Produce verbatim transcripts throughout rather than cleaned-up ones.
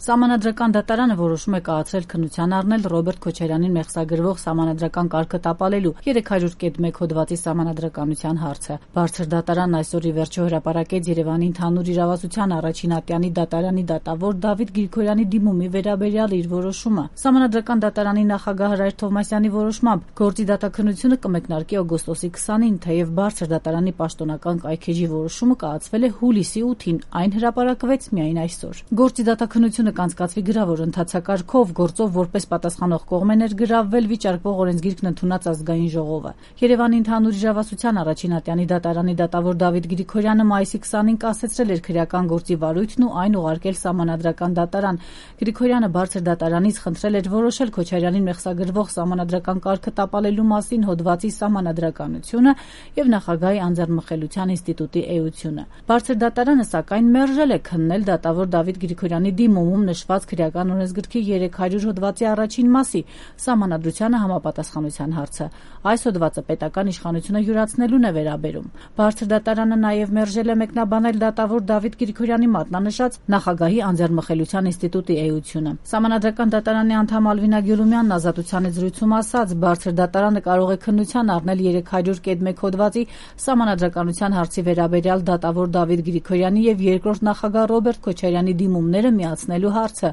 Սահմանադրական դատարանը որոշում է կայացրել քննության առնել Ռոբերտ Քոչարյանին մեղսագրվող սահմանադրական կարգը տապալելու երեք հարյուր կետ մեկ հոդվածի սահմանադրականության հարցը։ Բարձր դատարանն այսօր ի վերջո հրապարակեց Երևանի ընդհանուր իրավասության առաջին ատյանի դատարանի դատավոր Դավիթ Գրիգորյանի դիմումի վերաբերյալ իր որոշումը։ Սահմանադրական դատարանի նախագահ Հրայր Թովմասյանի որոշմամբ գործի դատաքննությունը կմեկնարկի օգոստոսի քսանին, թեև բարձր դատարանի պաշտոնական կայքէջի որոշումը կայացվել է հուլիսի ութին, այն հրապարակվեց միայն այսօր։ Գործի դատաքննությունը կանցկացվի գրավոր ընթացակարգով, գործով որպես պատասխանող կողմ է ներգրավվել վիճարկվող օրենսգիրքն ընդունած ազգային ժողովը։ Երևանի ընդհանուր իրավասության առաջին ատյանի դատարանի դատավոր Դավիթ Գրիգորյանը մայիսի քսանին կասեցրել էր քրեական գործի վարույթն ու այն ուղարկել սահմանադրական դատարան։ Գրիգորյանը բարձր դատարանից խնդրել էր որոշել Քոչարյանին մեղսագրվող սահմանադրական կարգը տապալելու մասին հոդվածի սահմանադրականությունը եւ նախագահի անձեռնմխելիության ինստիտուտի էությունը։ Բարձր դատարանը սակայն մերժել է քննել դատավոր Դավիթ Գրիգորյանի դիմումում նշված քրեական օրենսգրքի երեք հարյուր հոդվածի առաջին մասի սահմանադրությանը համապատասխանության հարցը։ Այս հոդվածը պետական իշխանությունը յուրացնելուն է վերաբերում։ Բարձր դատարանը նաև մերժել է մեկնաբանել դատավոր Դավիթ Գրիգորյանի մատնանշած նախագահի անձեռնմխելիության ինստիտուտի էությունը։ Սահմանադրական դատարանի անդամ Ալվինա Գյուլումյանն ազատության զրույցում ասաց, բարձր դատարանը կարող է քննության առնել երեք հարյուր կետ մեկ հոդվածի սահմանադրականության հարցի վերաբերյալ դատավոր Դավիթ Գրիգորյանի եւ երկրորդ նախագահ Ռոբերտ Քոչարյանի դիմումները միացնելու հարցը։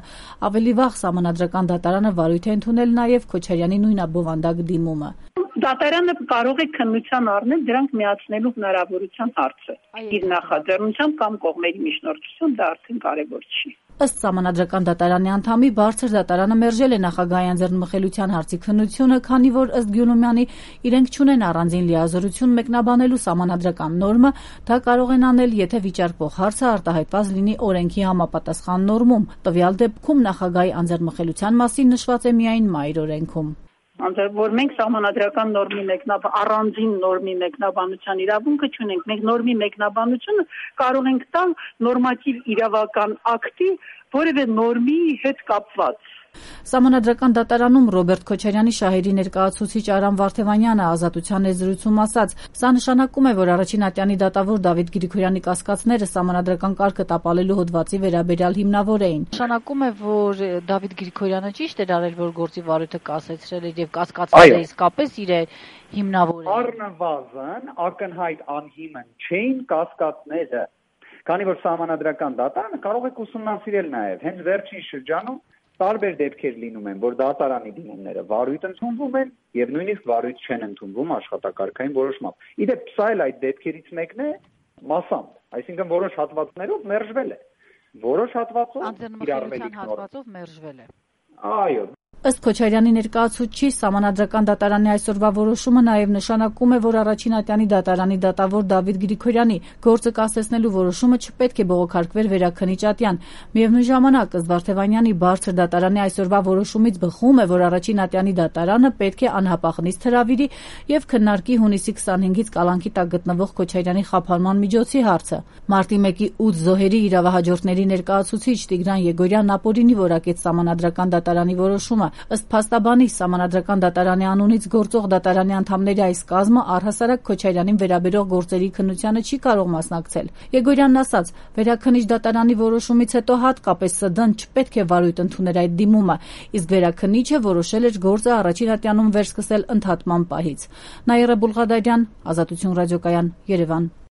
Ավելի վաղ սահմանադրական դատարանը վարույթ է ընդունել նաև Քոչարյանի նույնաբովանդակ դիմումը։ Դատարանը կարող է քննության առնել դրանք միացնելու հնարավորության հարցը։ Իր նախաձեռնությամբ կամ կողմերի միջնորդություն դա արդեն կարևոր չի։ Ըստ սահմանադրական դատարանի անդամի բարձր դատարանը մերժել է նախագահի անձեռնմխելիության հարցի քննությունը, քանի որ ըստ Գյուլումյանի իրենք չունեն առանձին լիազորություն մեկնաբանելու սահմանադրական նորմը, դա կարող են անել, եթե վիճարկվող հարցը արտահայտված լինի օրենքի համապատասխան նորմում։ Տվյալ դեպքում նախագահի անձեռնմխելիության մասին նշված է միայն Մայր օրենքում։ Որ մենք սահմանադրական նորմի մեկնաբան առանձին նորմի մեկնաբանության իրավունքը չունենք, մենք նորմի մեկնաբանությունը կարող ենք տալ նորմատիվ իրավական ակտի որևէ նորմի հետ կապված։ Սահմանադրական դատարանում Ռոբերտ Քոչարյանի շահերի ներկայացուցիչ Արամ Վարդևանյանը ազատության զրույցում ասաց, սա նշանակում է, որ առաջին ատյանի դատավոր Դավիթ Գրիգորյանի կասկածները սահմանադրական կարգը տապալելու հոդվածի վերաբերյալ հիմնավոր էին։ Նշանակում է, որ Դավիթ Գրիգորյանը ճիշտ էր արել, որ գործի վարույթը կասեցրել էր եւ կասկածները իսկապես իր հիմնավոր են։ Առնվազն ակնհայտ անհիմն չէին կասկածները, քանի որ սահմանադրական դատարանը կարող է ուսումնասիրել նաեւ հենց վերջին շրջանում տարբեր դեպքեր լինում են, որ դատարանի դիմումները վարույթ ընդունվում են եւ նույնիսկ վարույթ չեն ընդունվում աշխատակարգային որոշմամբ։ Իդեպ սա էլ այդ դեպքերից մեկն է մասամբ, այսինքն որոշ հատվածներով մերժվել է, որոշ հատվածով անձեռնմխելիության հատվածով մերժվել է։ Այո։ Ըստ Քոչարյանի ներկայացուցչի սահմանադրական դատարանի այսօրվա որոշումը նաև նշանակում է, որ առաջին ատյանի դատարանի դատավոր Դավիթ Գրիգորյանի գործը կասեցնելու որոշումը չպետք է բողոքարկվեր վերաքննիչ ատյան։ Միևնույն ժամանակ, ըստ Վարդևանյանի, բարձր դատարանի այսօրվա որոշումից բխում է, որ առաջին ատյանի դատարանը պետք է անհապաղ նիստ հրավիրի եւ քննարկի հունիսի քսանհինգից կալանքի տակ գտնվող Քոչարյանի խափանման միջոցի հարցը։ Մարտի մեկի ութ զոհերի իրավահաջորդների ներկայացուցիչ Տիգրան Եգորյանն ապօրինի որակեց սահմանադրական դատարանի որոշումը։ Ըստ փաստաբանի, սահմանադրական դատարանի անունից գործող դատարանի անդամների այս կազմը առհասարակ Քոչարյանին վերաբերող գործերի քննությանը չի կարող մասնակցել։ Եգորյանն ասաց, վերաքննիչ դատարանի որոշումից հետո հատկապես ՍԴ-ն չպետք է վարույթ ընդուներ այդ դիմումը, իսկ վերաքննիչը որոշել էր գործը առաջին ատյանում վերսկսել ընդհատման պահից։ Նաիրա Բուլղադարյան, Ազատություն ռադիոկայան, Երևան։